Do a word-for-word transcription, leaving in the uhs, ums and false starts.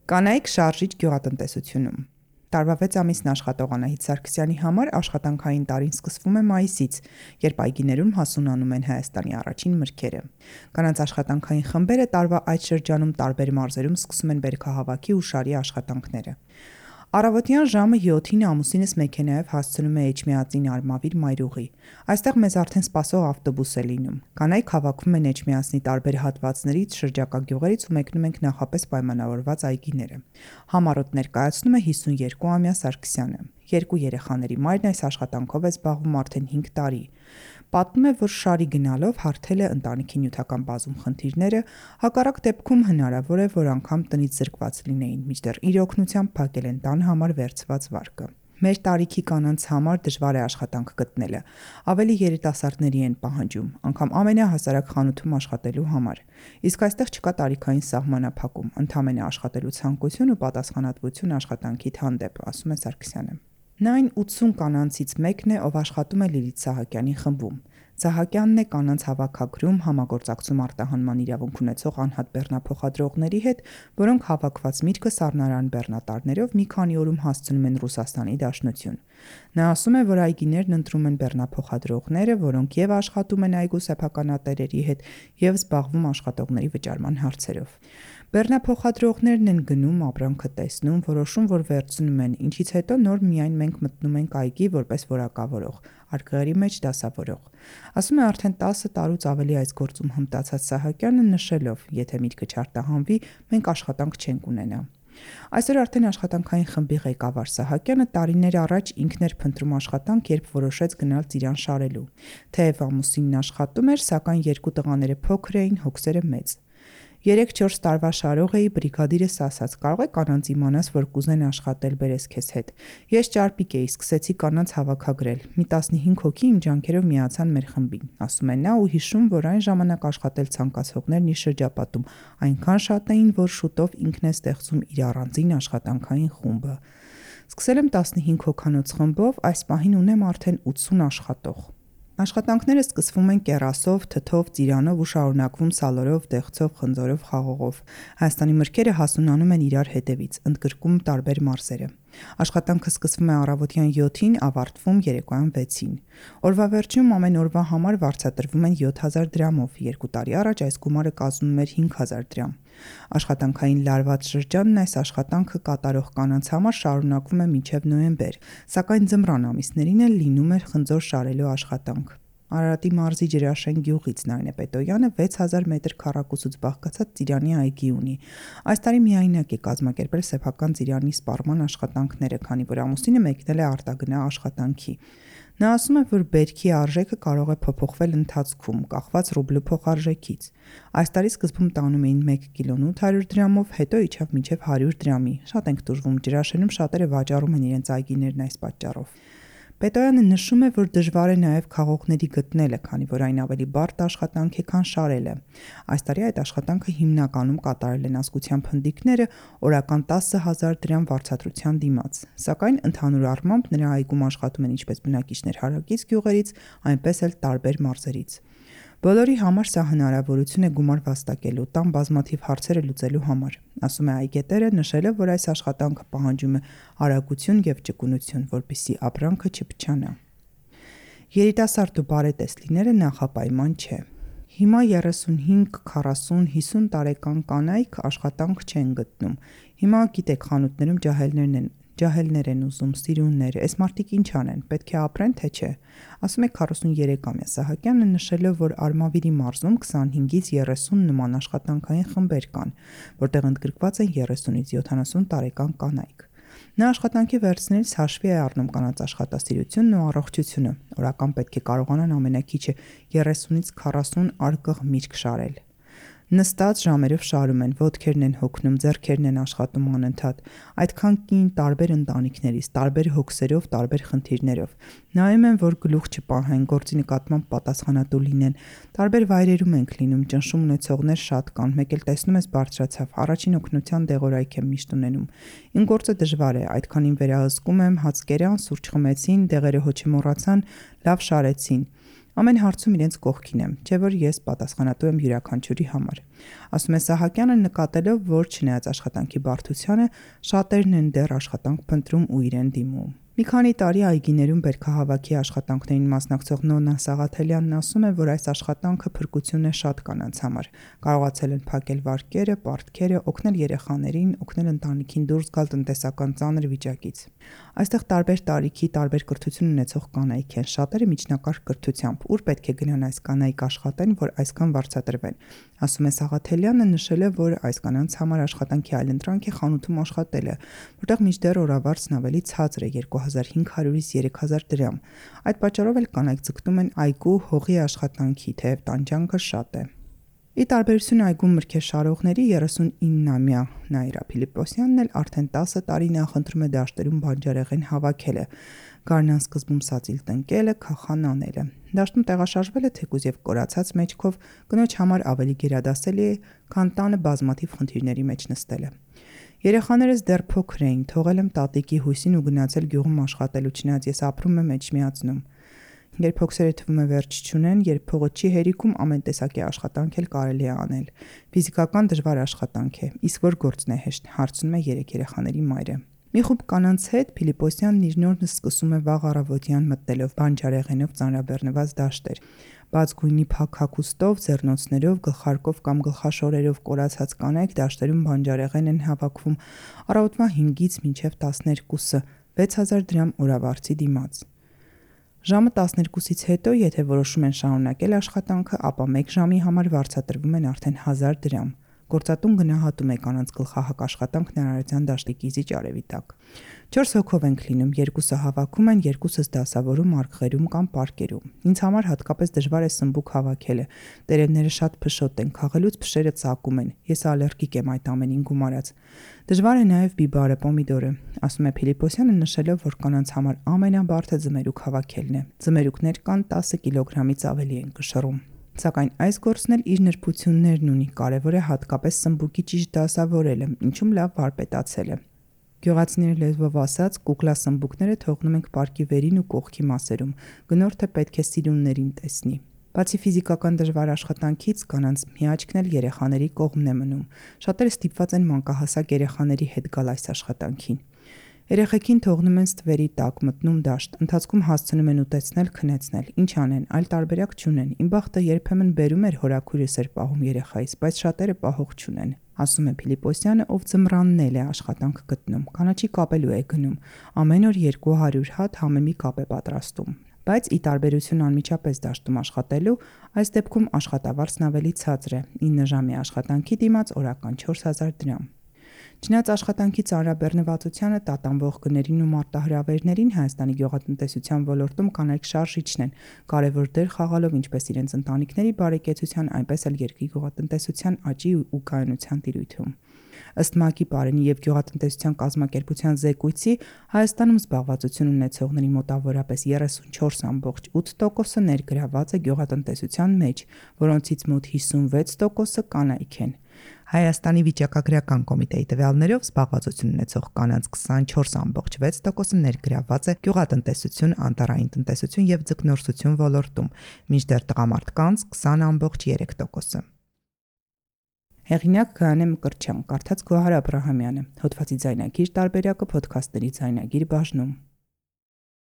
Կանայք շարժիչ գյուղատնտեսությունում։ Տարվա վեց ամիսն աշխատող Անահիտ Սարգսյանի համար աշխատանքային տարին սկսվում է մայիսից, երբ այգիներում հասունանում են Հայաստանի առաջին մրգերը։ Կանանց աշխատանքային խմբերը տարվա այդ շրջանում տարբեր մարզերում սկսում են բերքահավաքի ու շարի աշխատանքները։ Առավոտյան ժամը յոթին ամուսինս մեքենայով հասցնում է Էջմիածին Արմավիր մայրուղի։ Այստեղ մեզ արդեն սպասող ավտոբուս է լինում։ Կանայք հավաքվում են Էջմիածնի տարբեր հատվածներից, շրջակա գյուղերից ու մեկնում ենք նախապես պայմանավորված այգիները։ Համառոտ ներկայացնում է հիսունյոթամյա Սարգսյանը։ Երկու երեխաների մայրն այս աշխատանքով է զբաղվում արդեն հինգ տարի։ Պատմում է, որ շարի գնալով հարթել է ընտանիքի նյութական բազում խնդիրները, հակառակ դեպքում հնարավոր է, որ անգամ տնից զրկված լինեին, մինչդեռ իր օգնությամբ փակել են տան համար վերցված վարկը։ Մեր տարիքի կանանց համար դժվար է աշխատանք գտնելը, ավելի երիտասարդների են պահանջում, անգամ ամենահասարակ խանութում աշխատելու համար։ Իսկ այստեղ չկա տարիքային սահմանափակում, ընդամենը աշխատելու ցանկություն ու պատասխանատվություն աշխատանքիդ հանդեպ, ասում է Սարգսյանը։ Նա այն ութսուն կանանցից մեկն է, ով աշխատում է Լիլիթ Սահակյանի խմբում։ Սահակյանն է կանանց հավաքագրում, համագործակցում արտահանման իրավունք ունեցող անհատ բեռնափոխադրողների հետ, որոնք հավաքված միտքը սառնարան բեռնատարներով մի քանի օրում հասցնում են Ռուսաստանի Դաշնություն։ Նա ասում է, որ այգիներն ընտրում են բեռնափոխադրողները, որոնք եւ աշխատում են այգու սեփականատերերի հետ, եւ զբաղվում աշխատողների վճարման հարցերով։ Բեռնափոխադրողներն են գնում, ապրանքը տեսնում, որոշում, որ վերցնում են, ինչից հետո նոր միայն մենք մտնում ենք այգի որպես որակավորող, արկղերի մեջ դասավորող։ Ասում է արդեն տասը տարուց ավելի այս գործում հմտացած Սահակյանը, նշելով, եթե միտքը չարտահանվի, մենք աշխատանք չենք ունենա։ Այսօր արդեն աշխատանքային խմբի ղեկավար Սահակյանը տարիներ առաջ ինքն էր փնտրում աշխատանք, երբ որոշեց գնալ ծիրան շարելու։ Թեև ամուսինն աշխատում էր, սակայն երկու տղաները փոքր էին, հոգսերը մեծ։ երեք-չորս տարվա շարող էի, բրիգադիրս ասաց, կարող է կանանց իմանաս, որ կուզեն աշխատել, բերես քեզ հետ։ Ես ճարպիկ էի, սկսեցի կանանց հավաքագրել։ Մի տասնհինգ հոգի իմ ջանքերով միացան մեր խմբին, ասում է նա ու հիշում, որ այն ժամանակ աշխատել ցանկացողներն իր շրջապատում այնքան շատ էին, որ շուտով ինքն է ստեղծում իր առանձին աշխատանքային խումբը։ Սկսել եմ տասնհինգ հոգանոց խմբով, այս պահին ունեմ արդեն ութսուն աշխատող։ Աշխատանքները սկսվում են կեռասով, թթով, ծիրանով ու շարունակվում սալորով, դեղցով, խնձորով, խաղողով։ Հայաստանի մրգերը հասունանում են իրար հետևից, ընդգրկում տարբեր մարզերը։ Աշխատանքը սկսվում է առավոտյան յոթին, ավարտվում երեկոյան վեցին։ Օրվա վերջում ամեն օրվա համար վարձատրվում են յոթ հազար դրամով, երկու տարի առաջ այս գումարը կազմում էր հինգ հազար դրամ։ Աշխատանքային լարված շրջանն այս աշխատանքը կատարող կանանց համար շարունակվում է մինչև նոյեմբեր, սակայն ձմռան ամիսներին էլ լինում էր խնձոր շարելու աշխատանք։ Արարատի մարզի Ջրաշեն գյուղից Նայնե Պետոյանը վեց հազար մետր քառակուսուց բաղկացած ծիրանի այգի ունի։ Այս տարի միայնակ է կազմակերպել սեփական ծիրանի սպառման աշխատանքները, քանի որ ամուսինը մեկնել է արտագնա աշխատանքի։ Նա ասում է, որ բերքի արժեքը կարող է փոփոխվել ընթացքում, կախված ռուբլու փոխարժեքից։ Այս տարի սկզբում տանում էին մեկ կիլոն ութ հարյուր դրամով, հետո իջավ մինչև հարյուր դրամի։ Շատ ենք տուժվում, Ջրաշենում շատերը վաճառում են իրենց այգիներն այս պատճառով։ Պետոյանը նշում է, որ դժվար է նաև քաղողների գտնելը, քանի որ այն ավելի բարդ աշխատանք է, քան շարելը։ Այս տարի այդ աշխատանքը հիմնականում կատարել են ազգության փնդիկները օրական տասը հազար դրամ վարձատրության դիմաց։ Սակայն ընդհանուր առմամբ նրա այգում աշխատում են ինչպես բնակիչներ հարակից գյուղերից, այնպես էլ տարբեր մարզերից։ Բոլորի համար սա հնարավորություն է գումար վաստակելու, տան բազմաթիվ հարցերը լուծելու համար, ասում է այգետերը, նշելով, որ այս աշխատանքը պահանջում է արագություն եւ ճկունություն, որպեսզի ապրանքը չփչանա։ Երիտասարդ ու բարետես լինելը նախապայման չէ։ Հիմա երեսունհինգ, քառասուն, հիսուն տարեկան կանայք աշխատանք չեն գտնում։ Հիմա գիտեք, խանութներում ջահելներն են Ջահելներ են ուզում, սիրուններ, այս մարդիկ ինչ անեն, պետք է ապրեն, թե չէ, ասում է քառասունյոթամյա Սահակյանը, նշելով, որ Արմավիրի մարզում քսանհինգից երեսուն նման աշխատանքային խմբեր կան, որտեղ ընդգրկված են երեսունից յոթանասուն տարեկան կանայք։ Նա աշխատանքի վերցնելիս հաշվի է առնում կանանց աշխատասիրությունն ու առողջությունը, օրական պետք է կարողանան ամենակիչը երեսունից քառասուն արկղ միրգ շարել։ Նստած ժամերով շարում են, ոտքերն են հոգնում, ձեռքերն են աշխատում անընդհատ, այդքան կին տարբեր ընտանիքներից, տարբեր հոգսերով, տարբեր խնդիրներով։ Նայում են, որ գլուխ չպահեն, գործի նկատմամբ պատասխանատու լինեն, տարբեր վայրերում ենք լինում, ճնշում ունեցողներ շատ կան, մեկ էլ տեսնում ես բարձրացավ, առաջին օգնության դեղորայք եմ միշտ ունենում։ Իմ գործը դժվար է, այդքանին վերահսկում եմ, հաց կերան, սուրճ խմեցին, դեղերը հոչի մոռացան, լավ շարեցին։ Ամեն հարցում իրենց կողքին եմ, չէ որ ես պատասխանատու եմ յուրաքանչյուրի համար։ Ասում է Սահակյանը, նկատելով, որ չնայած աշխատանքի բարդությանը, շատերն են դեռ աշխատանք փնտրում ու իրեն դիմում։ Մի քանի տարի այգիներում բերքահավաքի աշխատանքներին մասնակցող Նոնա Սաղաթելյանն ասում է, որ այս աշխատանքը փրկություն է շատ կանանց համար։ Կարողացել են փակել վարկերը, պարտքերը, օգնել երեխաներին, օգնել ընտանիքին դուրս գալ տնտեսական ծանր վիճակից։ Այստեղ տարբեր տարիքի, տարբեր կրթություն ունեցող կանայք են, շատերը միջնակարգ կրթությամբ, ուր պետք է գնան այս կանայք աշխատեն, որ այսքան վարձատրվեն։ Ասում է Սաղաթելյանը, նշել է, որ այս կանանց համար աշխատանքի այլընտրանք է խանութում աշխատելը, որտեղ մինչդեռ օրավարձն ավելի ցածր է երկու հազար հինգ հարյուրից երեք հազար դրամ։ Այդ պատճառով էլ կանայք ձգտում են այգու հողի աշխատանքի, թեև տանջանքը շատ է։ Ի տարբերություն այգում մրգեր շարողների երեսունինամյա Նաիրա Փիլիպոսյանն էլ արդեն տասը տարի նախընտրում է դաշտերում բանջարեղեն հավաքելը, գարնան սկզբում սածիլ տնկելը, քախան անելը։ Դաշտում տեղաշարժվելը թեկուզ եւ կորացած մեջքով կնոջ համար ավելի գերադասելի է, քան տանը բազմաթիվ խնդիրների մեջ նստելը։ Երեխաներս դեռ փոքր էին, թողել եմ տատիկի հույսին ու գնացել գյուղում աշխատելու, չնայած ես ապրում եմ Էջմիածնում։ Երբ հոգսերը թվում է վերջ չունեն, երբ փողը չի հերիքում, ամեն տեսակի աշխատանք էլ կարելի է անել։ Ֆիզիկական դժվար աշխատանք է, իսկ որ գործն է հեշտ, հարցնում է երեք երեխաների մայրը։ Մի խումբ կանանց հետ Փիլիպոսյանն իր նորն սկսում է վաղ առավոտյան մտնելով բանջարեղենով ծանրաբեռնված դաշտեր։ Բաց գույնի փակ հագուստով, ձեռնոցներով, գլխարկով կամ գլխաշորերով կորացած կանայք դաշտերում բանջարեղեն են հավաքվում առավոտվա հինգից մինչև տասներկուսը, վեց հազար դրամ օրավարձի դիմաց։ Ժամը տասներկուսից հետո, եթե որոշում են շարունակել աշխատանքը, ապա մեկ ժամի համար վարձատրվում են արդեն հազար դրամ։ Գործատուն գնահատում է կանանց գլխահակ աշխատանքն Արարատյան դաշտի կիզիչ արևի տակ։ Չորս հոգով ենք լինում, երկուսը հավաքում են, երկուսս դասավորում, արգղերում կամ պարկերում։ Ինձ համար հատկապես դժվար է սմբուկ հավաքելը։ Տերևները շատ փշոտ են, քաղելուց փշերը ծակում են։ Ես ալերգիկ եմ այդ ամենին գումարած։ Դժվար է նաև բիբարը, պոմիդորը, ասում է Փիլիպոսյանը, նշելով, որ կանանց համար ամենաբարդը ձմերուկ հավաքելն է։ Ձմերուկներ կան տասը կիլոգրամից ավելի են կշռում։ Սակայն այս գործն էլ իր նրբություններն ունի, կարևոր է հատկապես սմբուկի ճիշտ դասավորելը, ինչում լավ վարպետացելը։ Գյուղացիների լեզվով ասած, կուկլա սմբուկները թողնում ենք պարկի վերին ու կողքի մասերում, գնորդը պետք է սիրուններին տեսնի։ Բացի ֆիզիկական դժվար աշխատանքից, կանանց միաճքն էլ երեխաների կողմն է մնում։ Շատերը ստիպված են մանկահասակ երեխաների հետ գալ այս աշխատանքին։ Երեխեքին թողնում են ստվերի տակ, մտնում դաշտ, ընթացքում հասցնում են ուտեցնել, քնեցնել, ինչ անեն, այլ տարբերակ չունեն։ Իմ բախտը երբեմն բերում էր հորաքույրս էր պահում երեխայից, բայց շատերը պահող չունեն, ասում է Փիլիպոսյանը, ով ձմռանն էլ է աշխատանք գտնում, կանաչի կապելու է գնում, ամեն օր երկու հարյուր հատ համեմի կապ է պատրաստում։ Բայց ի տարբերություն անմիջապես դաշտում աշխատելու, այս դեպքում աշխատավարձն ավելի ցածր է՝ ինը ժամի աշխատանքի դիմաց օրական չորս հազար դրամ։ Չնայած աշխատանքի ծանրաբեռնվածությանը, տատանվող գներին ու մարտահրավերներին Հայաստանի գյուղատնտեսության ոլորտում կանայք շարժիչն են, կարևոր դեր խաղալով ինչպես իրենց ընտանիքների բարեկեցության, այնպես էլ երկրի գյուղատնտեսության աճի ու կայունության տիրույթում։ Ըստ ՄԱԿ-ի Պարենի և գյուղատնտեսության կազմակերպության զեկույցի, Հայաստանում զբաղվածություն ունեցողների մոտավորապես երեսունչորս կόμμα ութ տոկոսը ներգրավված է գյուղատնտեսության մեջ, որոնցից մոտ հիսունվեց տոկոսը կանայք են։ Հայաստանի վիճակագրական կոմիտեի տվյալներով զբաղվածություն ունեցող կանանց քսանչորս կόμμα վեց տոկոսը ներգրավված է գյուղատնտեսություն, անտառային տնտեսություն և ձկնորսություն ոլորտում, մինչդեռ տղամարդկանց քսան կόμμα երեք տոկոսը։ Հեղինակ Գայանե Մկրտչյան, կարդաց Գոհար Աբրահամյանը, հոդվածի ձայնագիր տարբերակը Փոդքասթերի ձայնագիր բաժնում։